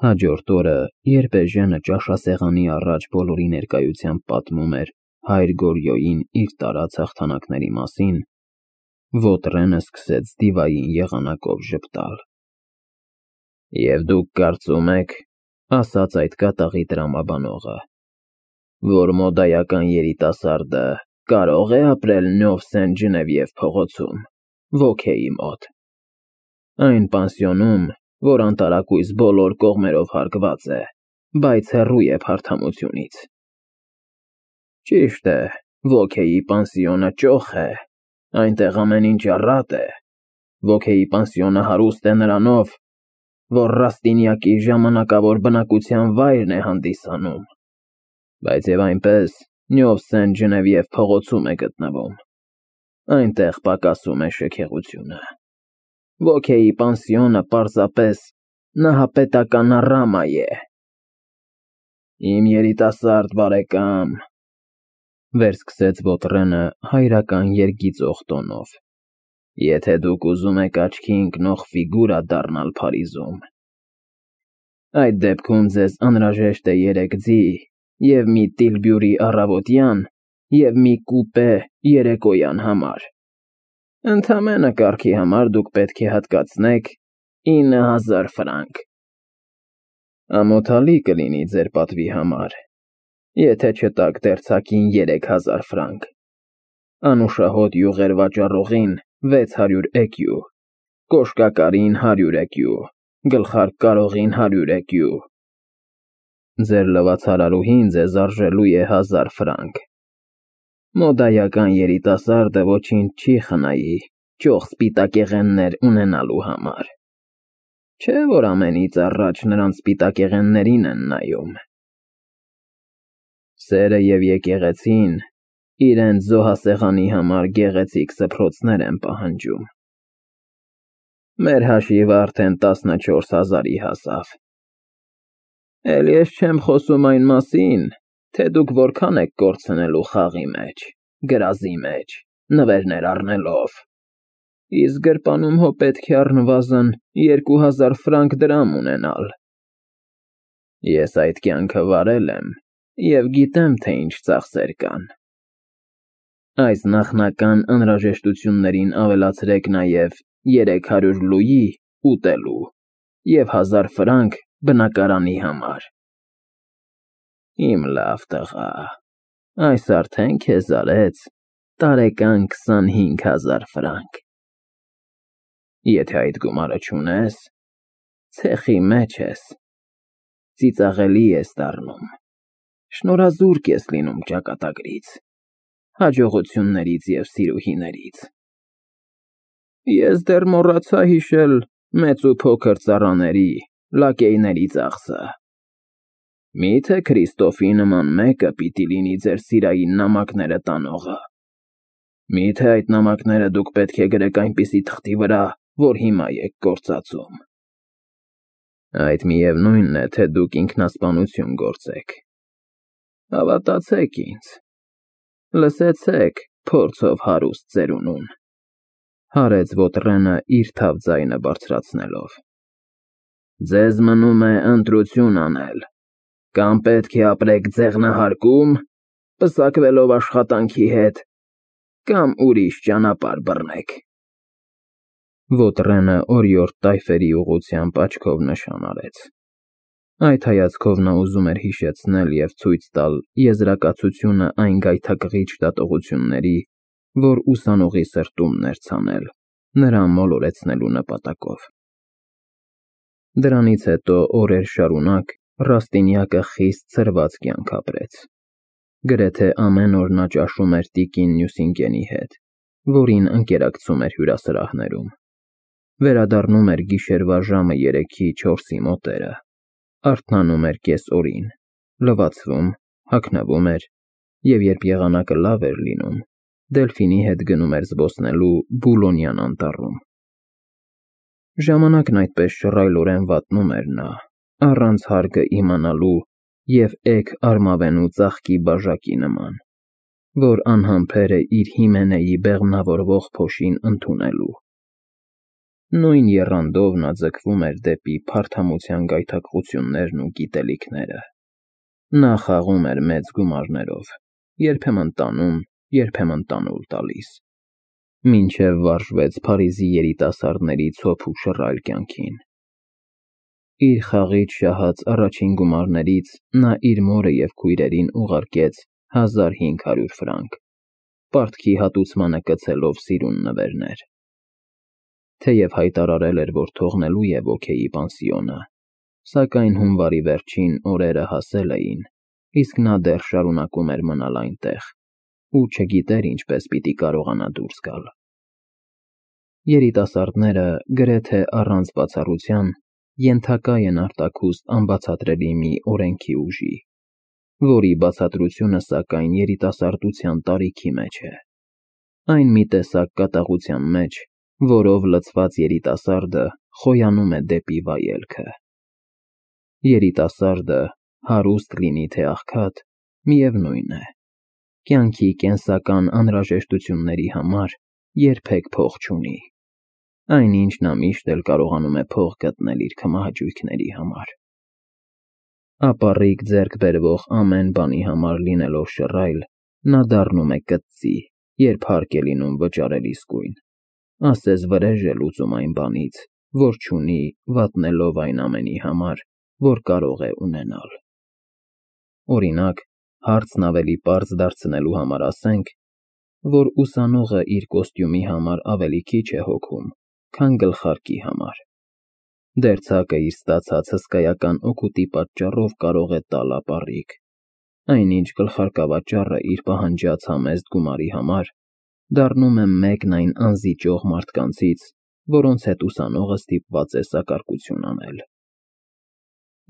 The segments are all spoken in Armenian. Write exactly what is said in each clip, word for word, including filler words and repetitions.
Հաջորդ օրը, երբ Էժենը ճաշասեղանի առաջ բոլորի ներկայությամբ պատմում էր հայր Գորյոյին իր տարած հաղթանակների մասին, Վոտրենը սկսեց դիվային եղանակով ժպտալ։ «Եվ դուք կարծում եք, — ասաց այդ կատաղի տրամաբանողը, — որ մոդայական երիտասարդը կարո՞ղ է ապրել Նյով Սեն-Ջնևիև փողոցում, Ոքեի մոտ, այն պանսիոնում, որ անտարակույս բոլոր կողմերով հարգված է, բայց հեռու է փարթամությունից։ Ճիշտ է, Ոքեի պանսիոնը ճոխ է, այնտեղ ամեն ինչ առատ է, Ոքեի պանսիոնը հարուստ է նրանով, որ Ռաստինյակի ժամանակավոր բնակության վայրն է հանդիսանում, բայց և այնպես Նյով Սեն-Ջնևիև փողոցում է գտնվում, այնտեղ պակասում է շքեղությունը։ Ոքեի պանսիոնը պարզապես նահապետականառամա է։ Իմ երիտասարդ բարեկամ, — վերսկսեց Վոտրենը հայրական երգիծող տոնով, — եթե դուք ուզում եք աչքի ընկնող ֆիգուրա դառնալ Փարիզում, այդ դեպքում ձեզ անհրաժեշտ է երեք ձի և մի տիլբյուրի առավոտյան և մի կուպե երեկոյան համար։ Ընդամենը կարգի համար դուք պետք է հատկացնեք ինը հազար ֆրանկ։ Ամոթալի կլինի ձեր պատվի համար, եթե չտաք դերձակին երեք հազար ֆրանկ, անուշահոտ յուղեր վաճառողին վեց հարյուր էկյու, կոշկակարին հարյուր էկյու, գլխարկ կարողին հարյուր էկյու։ Ձեր լվացարարուհին ձեզ արժելու է հազար ֆրանկ։ Մոդայական երիտասարդը ոչինչ չի խնայի ճոխ սպիտակեղեններ ունենալու համար, չէ՞ որ ամենից առաջ նրանց սպիտակեղեններին են նայում։ Սերը և եկեղեցին իրենց զոհասեղանի համար գեղեցիկ սփռոցներ են պահանջում։ Մեր հաշիվը արդեն տասնչորս հազարի հասավ։ Էլ ես չեմ խոսում այն մասին, թե դուք որքան եք կորցնելու խաղի մեջ, գրազի մեջ, նվերներ առնելով, իսկ գրպանում հո պետք է առնվազն երկու հազար ֆրանկ դրամ ունենալ։ Ես այդ կյանքը վարել եմ և գիտեմ, թե ինչ ծախսեր կան։ Այս նախնական անհրաժեշտություններին ավելացրեք նաև երեք հարյուր լուի ուտելու և հազար ֆրանկ բնակարանի համար։ Իմ լավ տղա, այս արդեն քեզ արեց տարեկան քսանհինգ հազար ֆրանկ։ Եթե այդ գումարը չունես, ցեխի մեջ ես, ծիծաղելի ես դառնում, շնորհազուրկ ես լինում ճակատագրից, հաջողություններից և սիրուհիներից։ Ես դեռ մոռացա հիշել մեծ ու փոքր ծառաների, լակեյների ծախսը։ Մի՞թե Քրիստոֆի նման մեկը պիտի լինի ձեր սիրային նամակները տանողը։ Մի՞թե այդ նամակները դուք պետք է գրեք այնպիսի թղթի վրա, որ հիմա եք գործածում։ Այդ միևնույնն է, թե դուք ինքնասպանություն գործեք։ Հավատացեք ինձ, լսեցեք փորձով հարուստ ծերունուն, — հարեց Վոտրենը իր թավ ձայնը բարձրացնելով։ Ձեզ մնում է ընտրություն անել, կամ պետք է ապրեք ձեղնահարկում, պսակվելով աշխատանքի հետ, կամ ուրիշ ճանապարհ բռնեք։ Վոտրենը օրիորդ տայֆերի ուղղությամբ աչքով նշան արեց։ Այդ հայացքով նա ուզում էր հիշեցնել և ցույց տալ եզրակացությունը այն գայթակղիչ դատողությունների, որ ուսանողի սրտումն էր ցանել, նրան մոլորեցնելու նպատակով։ Դրանից հետո օրեր շարունակ Ռաստինյակը խիստ ցրված կյանք ապրեց։ Գրեթե ամեն օր նա ճաշում էր տիկին Նյուսինկենի հետ, որին ընկերակցում էր հյուրասրահներում։ Վերադառնում էր գիշերվա ժամը երեքի չորսի մոտերը, արթնանում էր կեսօրին, լվացվում, հագնվում էր և երբ եղանակը լավ էր լինում, Դելֆինի հետ գնում էր զբոսնելու Բուլոնյան անտառում։ Ժամանակն այդպես շռայլորեն վատնում էր նա, առանց հարգը իմանալու և էգ արմավենու ծաղկի բաժակի նման, որ անհամբեր է իր Հիմենեի բեղմնավորվող փոշին ընդունելու։ Նույն եռանդով նա ձգվում էր դեպի փարթամության գայթակղություններն ու գիտելիքները։ Նա խաղում էր մեծ գումարներով, երբեմն տանում, երբեմն տանուլ տալիս, մինչև վարժվեց Փարիզի երիտասարդների ցոփ ու շռայլ կյանքին։ Իր խաղից շահած առաջին գումարներից նա իր մորը և քույրերին ուղարկեց հազար հինգ հարյուր ֆրանկ, պարտքի հատուցմանը կցելով սիրուն նվերներ։ Թեև հայտարարել էր, որ թողնելու է ոգեի պանսիոնը, սակայն հունվարի վերջին օրերը հասել էին, իսկ նա դեռ շարունակում էր մնալ այնտեղ ու չգիտեր ինչպես պիտի կարողանա դուրս գալ։ Երիտասարդները գրեթե առանց բացառության ենթակա են արտաքուստ անբացատրելի մի օրենքի ուժի, որի բացատրությունը, սակայն, երիտասարդության տարիքի մեջ է, այն մի տեսակ կատաղության մեջ, որով լցված երիտասարդը խոյանում է դեպի վայելքը։ Երիտասարդը, հարուստ լինի թե աղքատ, միևնույն է, կյանքի կենսական անհրաժեշտությունների համար երբեք փող չունի, այնինչ նա միշտ էլ կարողանում է փող գտնել իր քմահաճույքների համար։ Ապառիկ ձեռք բերվող ամեն բանի համար լինելով շռայլ, նա դառնում է կծծի, երբ հարկ է լինում վճարել իսկույն, ասես վրեժ է լուծում այն բանից, որ չունի, վատնելով այն ամենի համար, որ կարող է ունենալ։ Օրինակ, հարցն ավելի պարզ դարձնելու համար ասենք, որ ուսանողը իր կոստյումի համար ավելի քիչ է հոգում, քան գլխարկի համար։ Դերձակը իր ստացած հսկայական օգուտի պատճառով կարող է տալ ապառիկ, այնինչ գլխարկավաճառը իր պահանջած համեստ գումարի համար դառնում է մեկն այն անզիջող մարդկանցից, որոնց հետ ուսանողը ստիպված է սակարկություն անել։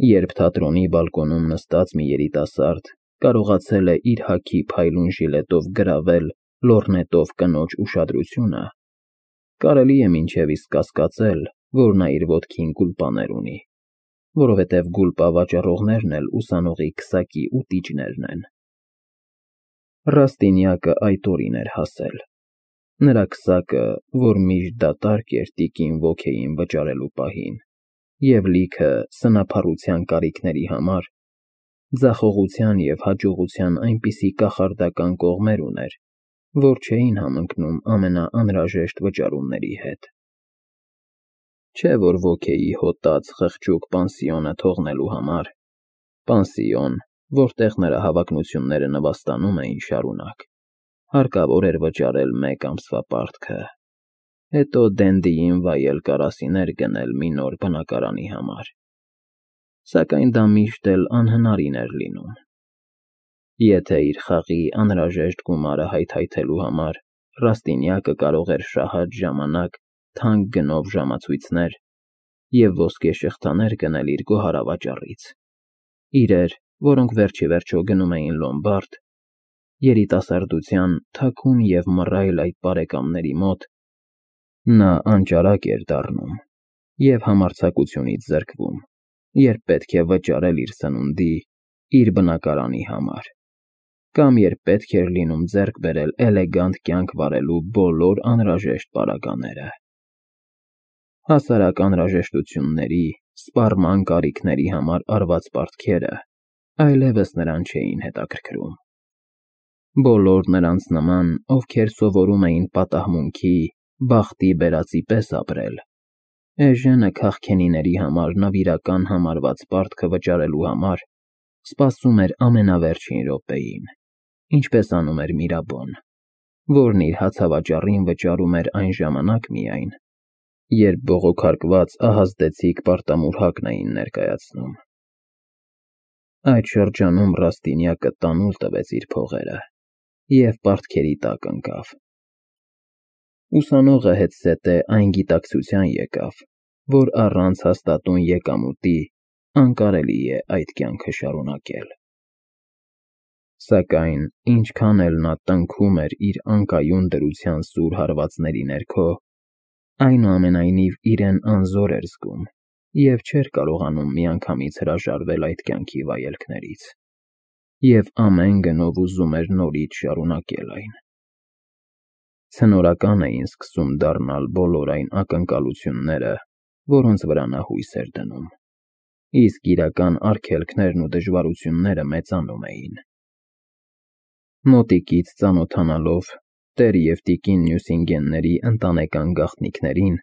Երբ թատրոնի բալկոնում նստած մի երիտասարդ կարողացել է իր հագի փայլուն ժիլետով գրավել լոռնետով կնոջ ուշադրությունը, կարելի է մինչև իսկ կասկածել, որ նա իր ոտքին գուլպաներ ունի, որովհետև գուլպա վաճառողներն էլ ուսանողի քսակի ուտիչներն են։ Ռաստինյակը այդ օրին էր հասել։ Նրա քսակը, որ միշտ դատարկ էր տիկին ոգեին վճարելու պահին, և լիքը սնափառության կարիքների համար, ձախողության և հաջողության այնպիսի կախարդական կողմեր ուներ, որ չէին համընկնում ամենաանհրաժեշտ վճարումների հետ։ Չէ՞ որ ոգեի հոտած խղճուկ պանսիոնը թողնելու համար, պանսիոն, որտեղ նրա հավակնությունները նվաստանում էին շարունակ, հարկավոր էր վճարել մեկ ամսվա պարտքը, հետո Դենդիին վայել կարասիներ գնել մի նոր բնակարանի համար, սակայն դա միշտ էլ անհնարին էր լինում։ Եթե իր խաղի անհրաժեշտ գումարը հայթայթելու համար Ռաստինյակը կարող էր շահած ժամանակ թանկ գնով ժամացույցներ և ոսկե շղթաներ գնել իր գոհարավաճառից, իրեր, որոնք վերջիվերջո գնում էին լոմբարդ, երիտասարդության թաքուն և մռայլ այդ բարեկամների մոտ, նա անճարակ էր դառնում և համարձակությունից զրկվում, երբ պետք է վճարել իր սնունդի, իր բնակարանի համար, կամ երբ պետք էր լինում ձեռք բերել էլեգանտ կյանք վարելու բոլոր անհրաժեշտ պարագաները։ Հասարակ անհրաժեշտությունների, սպառման կարիքների համար արված պարտքերը այլևս նրան չէին հետաքրքրում։ Բոլոր նրանց նման, ովքեր սովորում էին պատահմունքի, բախտի բերածի պես ապրել, էժանը քաղքենիների համար նվիրական համարված պարտքը վճարելու համար սպասում էր ամենավերջին րոպեին, ինչպես անում էր Միրաբոն, որն իր հացավաճառին վճարում էր այն ժամանակ միայն, երբ բողոքարկված ահազդեցիկ պարտամուրհակն էին ներկայացնում։ Այդ շրջանում Ռաստինյակը տանուլ տվեց իր փողերը և պարտքերի տակ ընկավ։ Ուսանողը հետզհետե այն գիտակցության եկավ, որ առանց հաստատուն եկամուտի անկարելի է այդ կյանքը շարունակել։ Սակայն ինչքան էլ նա տնքում էր իր անկայուն դրության սուր հարվածների ներքո, այնուամենայնիվ իրեն անզոր էր զգում և չէր կարողանում միանգամից հրաժարվել այդ կյանքի վայելքներից, և ամեն գնով ուզում էր նորից շարունակել այն։ Ցնորական էին սկսում դառնալ բոլոր այն ակնկալությունները, որոնց վրա նա հույս էր դնում, իսկ իրական արգելքներն ու դժվարությունները մեծանում էին։ Մոտիկից ծանոթանալով տեր և տիկին Նյուսինգենների ընտանեկան գաղտնիքներին,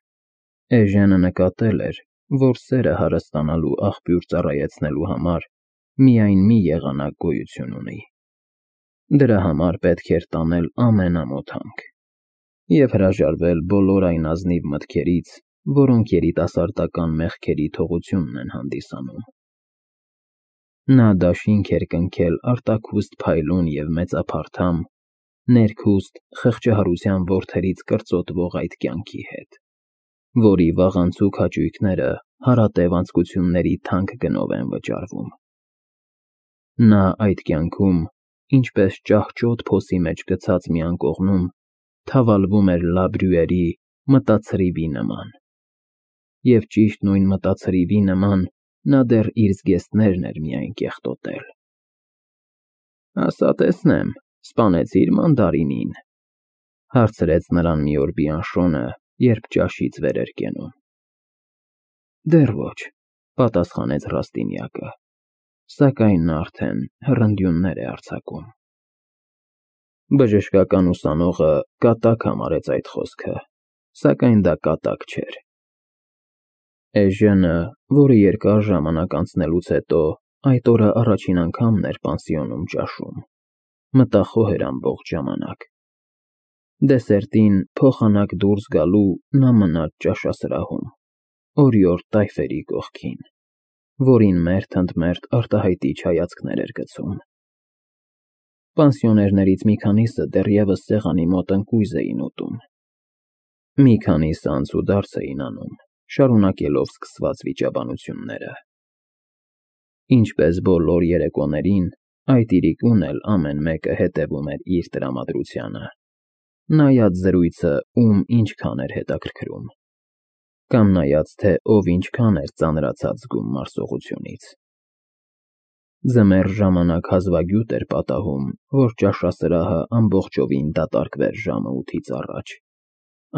Էժենը նկատել էր, որ սերը հարստանալու աղբյուր ծառայեցնելու համար միայն մի եղանակ գոյություն ունի։ Դրա համար պետք էր տանել ամենամոտ հանք և հրաժարվել բոլոր այն ազնիվ մտքերից, որոնք երիտասարդական մեղքերի թողությունն են հանդիսանում։ Նա դաշինք էր կնքել արտաքուստ փայլուն և մեծափարթամ, ներքուստ խղճահարության որդերից կրծոտվող այդ կյանքի հետ, որի վաղանցուկ հաճույքները հարատև անցկությունների թանկ գնով են վճարվում։ Նա այդ կյանքում, ինչպես ճահճոտ փոսի մեջ գցած մի անկողնում, թավալվում էր Լա Բրյուերի մտացրիվի նման, և ճիշտ նույն մտացրիվի նման նա դեռ իր զգեստներն էր միայն կեղտոտել։ «Ասա տեսնեմ, սպանեցի՞ր մանդարինին,֊ հարցրեց նրան մի օր Բիանշոնը, երբ ճաշից վեր էր կենում։ «Դեռ ոչ,֊ պատասխանեց Ռաստինյակը, սակայն նա արդեն հռնդյուններ է արձակում»։ Բժշկական ուսանողը կատակ համարեց այդ խոսքը, սակայն դա կատակ չէր։ Էժենը, որը երկար ժամանակ անցնելուց հետո այդ օրը առաջին անգամն էր պանսիոնում ճաշում, մտախոհ էր ամբողջ ժամանակ։ Դեսերտին փոխանակ դուրս գալու նա մնաց ճաշասրահում, օրիորդ տայֆերի կողքին, որին մերթ ընդ մերթ արտահայտիչ հայացքներ էր գցում։ Պանսիոներներից մի քանիսը դեռևս սեղանի մոտ ընկույզ էին ուտում։ Մի քանիսը անցուդարձ էին անում, շարունակելով սկսված վիճաբանությունները։ Ինչպես բոլոր երեկոներին, այդ իրիկուն էլ ամեն մեկը հետևում էր իր տրամադրությանը, նայած զրույցը ում ինչքան էր հետաքրքրում, կամ նայած, թե ով ինչքան էր ծանրացած զգում մարսողությունից։ Ձմեռ ժամանակ հազվագյուտ էր պատահում, որ ճաշասրահը ամբողջովին դատարկվեր ժամը ութից առաջ,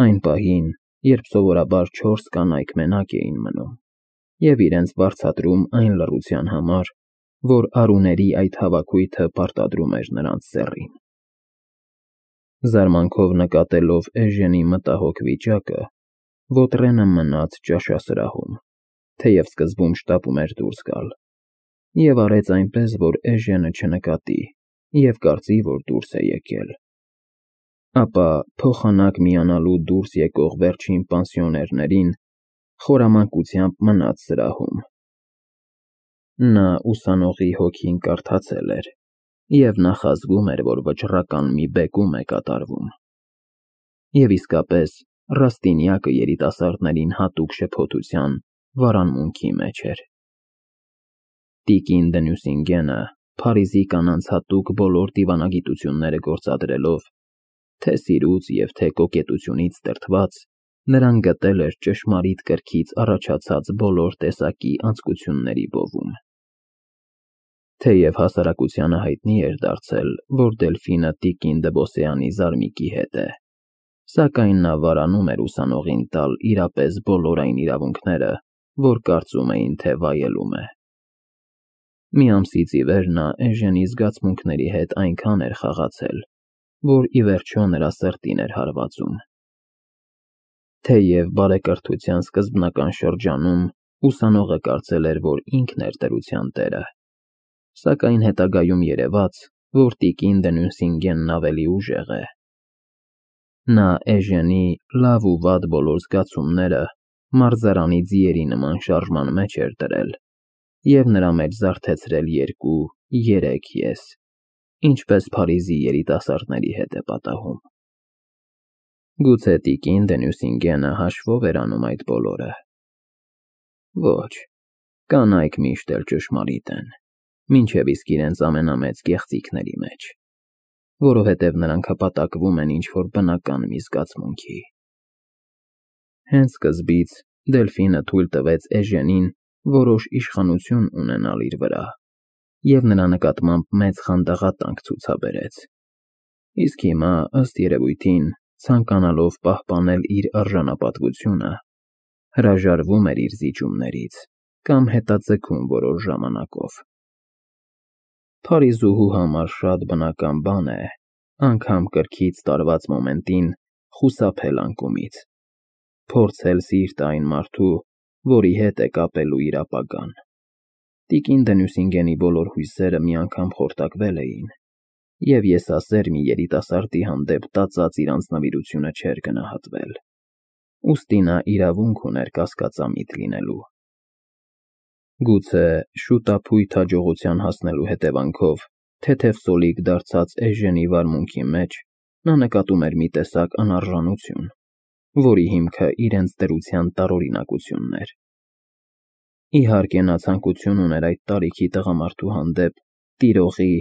այն պահին, երբ սովորաբար չորս կանայք մենակ էին մնում և իրենց վարձատրում այն լռության համար, որ արուների այդ հավաքույթը պարտադրում էր նրանց սեռին։ Զարմանքով նկատելով Էժենի մտահոգ վիճակը, Վոտրենը մնաց ճաշասրահում, թեև սկզբում շտապում էր դուրս գալ, և արեց այնպես, որ Էժենը չնկատի և կարծի, որ դուրս է եկել։ Ապա փոխանակ միանալու դուրս եկող վերջին պանսիոներներին խորամանկությամբ մնաց սրահում։ Նա ուսանողի հոգին կարդացել էր և նախազգում էր, որ վճռական մի բեկում է կատարվում։ Եվ իսկապես, Ռաստինյակը երիտասարդներին հատուկ շփոթության վարանմունքի մեջ էր։ Տիկին դը Նյուսինգենը, Փարիզի կանանց հատուկ բոլոր դիվանագիտությունները գործադրելով, թե սիրուց և թե կոկետությունից դրդված, նրան գտել էր ճշմարիտ կրքից առաջացած բոլոր տեսակի անձկությունների բովում։ Թեև հասարակությանը հայտնի էր դարձել, որ Դելֆինը տիկին դը Բոսեանի զարմիկի հետ է, սակայն նա վարանում էր ուսանողին տալ իրապես բոլոր այն իրավունքները, որ կարծում էին, թե վայելում է։ Մի ամսից ի վեր նա Էժենի զգացմունքների հետ այնքան էր խաղացել, որ ի վերջո նրա սրտին էր հարվածում։ Թեև բարեկրթության սկզբնական շրջանում ուսանողը կարծել էր, որ ինքն էր դրության տերը, սակայն հետագայում երևաց, որ տիկին դը Նյուսինգենն ավելի ուժեղ է։ Նա Էժենի լավ ու վատ բոլոր զգացումները մարզարանի ձիերի նման շարժման մեջ էր դրել և նրա մեջ զարթեցրել երկու, երեք ես, ինչպես Փարիզի երիտասարդների հետ է պատահում։ Գուցե տիկին դը Նյուսինգենը հաշվով էր անում այդ բոլորը։ Ոչ, կանայք միշտ էլ ճշմարիտ են, մինչև իսկ իրենց ամենամեծ գեղձիքների մեջ, որովհետև նրանք հպատակվում են ինչ-որ բնական մի զգացմունքի։ Հենց սկզբից Դելֆինը թույլ տվեց Էժենին որոշ իշխանություն ունենալ իր վրա և նրա նկատմամբ մեծ խանդաղատանք ցուցաբերեց, իսկ հիմա, ըստ երևույթին, ցանկանալով պահպանել իր արժանապատվությունը, հրաժարվում էր իր զիջումներից կամ հետաձգում որոշ ժամանակով։ Փարիզուհու համար շատ բնական բան է անգամ կրքից տարված մոմենտին խուսափել անկումից, փորձել սիրտ այն մարդու, որի հետ է կապելու իր ապագան։ Տիկին Դենյուսինգենի բոլոր հույսերը մի անգամ խորտակվել էին, և եսասեր մի երիտասարդի հանդեպ տածած իր անձնվիրությունը չէր գնահատվել, ուստի նա իրավունք ուներ կասկածամիտ լինելու։ Գուցե շուտափույթ հաջողության հասնելու հետևանքով թեթև սոլիկ դարձած Էժենի վարմունքի մեջ նա նկատում էր մի տեսակ անարժանություն, որի հիմքը իրենց դրության տարօրինակությունն էր։ Իհարկե նա ցանկություն ուներ այդ տարիքի տղամարդու հանդեպ տիրողի,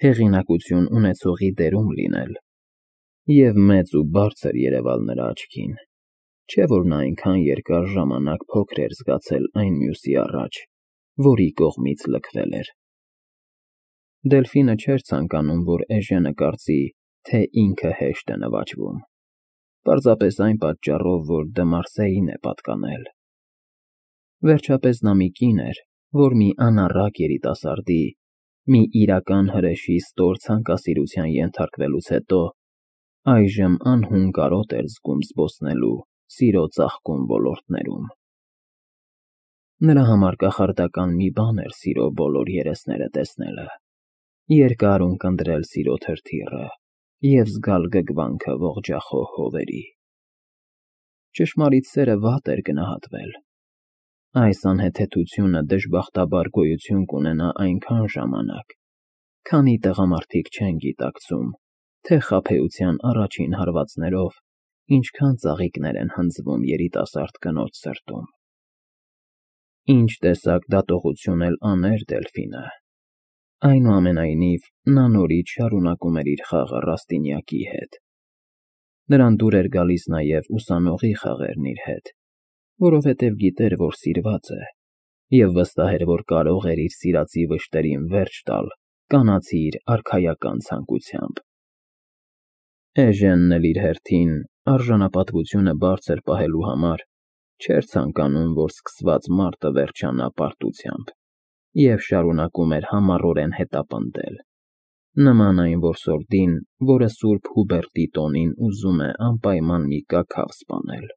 հեղինակություն ունեցողի դերում լինել, և մեծ ու բարձր երևալ նրա աչքին, չէ՞ որ նա այնքան երկար ժամանակ փոքր էր զգացել այն մյուսի առաջ, որի կողմից լքվել էր։ Դելֆինը չէր ցանկանում, որ Էժենը կարծի, թե ինքը հեշտ է նվաճվում, պարզապես այն պատճառով, որ դե Մարսեին է պատկանել։ Վերջապես նա մի կին էր, որ մի անառակ երիտասարդի, մի իրական հրեշի ստոր ցանկասիրության ենթարկվելուց հետո այժմ անհուն կարոտ էր զգում զբոսնելու սիրո ծաղկուն ոլորտներում։ Նրա համար կախարդական մի բան էր սիրո բոլոր երեսները տեսնելը, երկար ունկնդրել սիրո թրթիռը և զգալ գգվանքը ողջախոհ հովերի։ Ճշմարիտ սերը վատ էր գնահատվել։ Այս անհեթեթությունը դժբախտաբար գոյություն կունենա այնքան ժամանակ, քանի տղամարդիկ չեն գիտակցում, թե խաբեության առաջին հարվածներով ինչքան ծաղիկներ են հնձվում երիտասարդ կնոջ սրտում։ Ինչ տեսակ դատողություն էլ աներ Դելֆինը, այնուամենայնիվ նա նորից շարունակում էր իր խաղը Ռաստինյակի հետ։ Նրան դուր էր գալիս նաև ուսանողի խաղերն իր հետ, որովհետև գիտեր, որ սիրված է, և վստահ էր, որ կարող էր իր սիրածի վշտերին վերջ տալ կանացի իր արքայական ցանկությամբ։ Էժենն էլ իր հերթին, արժանապատվությունը բարձր պահելու համար, չէր ցանկանում, որ սկսված մարտը վերջանա պարտությամբ, և շարունակում էր համառորեն հետապնդել, նման այն որսորդին, որը սուրբ Հուբերտի տոնին ուզում է անպայման մի կաքավ սպանել։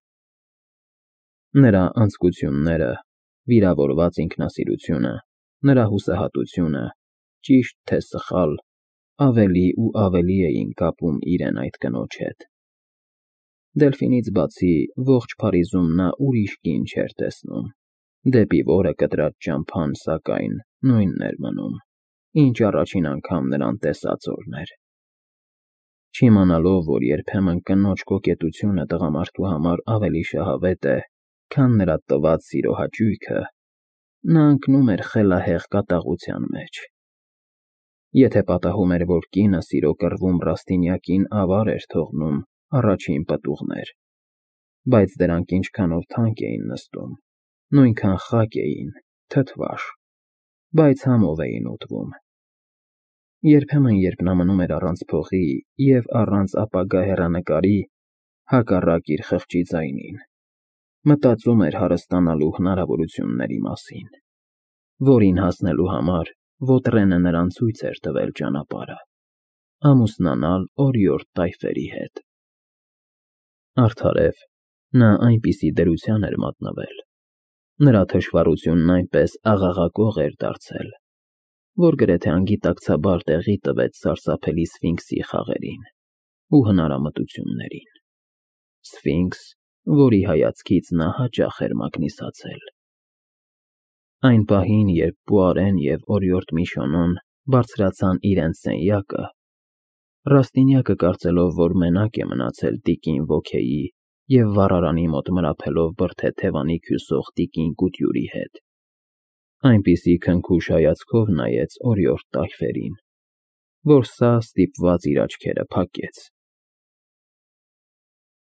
Նրա անձկությունները, վիրավորված ինքնասիրությունը, նրա հուսահատությունը, ճիշտ թե սխալ, ավելի ու ավելի էին կապում իրեն այդ կնոջ հետ։ Դելֆինից բացի ողջ Փարիզում նա ուրիշ կին չէր տեսնում, դեպի որը կտրած ճամփան, սակայն, նույնն էր մնում, ինչ առաջին անգամ նրան տեսած օրն էր։ Չիմանալով, որ երբեմն կնոջ կոկետությունը տղամարդու համար ավելի շահավետ է, քան նրա տված սիրո հաճույքը, նա ընկնում էր խելահեղ կատաղության մեջ։ Եթե պատահում էր, որ կինը սիրո կռվում Ռաստինյակին ավար էր թողնում առաջին պտուղներ, բայց դրանք ինչքանով թանկ էին նստում, նույնքան խակ էին, թթվաշ, բայց համով էին ուտվում։ Երբեմն, երբ նա մնում էր առանց փողի և առանց ապագա հեռանկարի, հակառակ իր խղճի ձայնին, մտածում էր հարստանալու հնարավորությունների մասին, որին հասնելու համար Վոտրենը նրան ցույց էր տվել ճանապարհը՝ ամուսնանալ օրիորդ տայֆերի հետ։ Արդարև, նա այնպիսի դրության էր մատնվել, նրա թշվառությունն այնպես աղաղակող էր դարձել, որ գրեթե անգիտակցաբար տեղի տվեց սարսափելի Սֆինքսի խաղերին ու հնարամտություններին։ Սֆինքս, որի հայացքից նա հաճախ էր մագնիսացել։ Այն պահին, երբ Պուարեն և օրիորդ Միշոնոն բարձրացան իրենց սենյակը, Ռաստինյակը, կարծելով, որ մենակ է մնացել տիկին Ոքեյի և վառարանի մոտ մրափելով բրդե թևանիք հյուսող տիկին Կուտյուրի հետ, այնպիսի քնքուշ հայացքով նայեց օրիորդ տայֆերին, որ սա ստիպված իր աչքերը փակեց։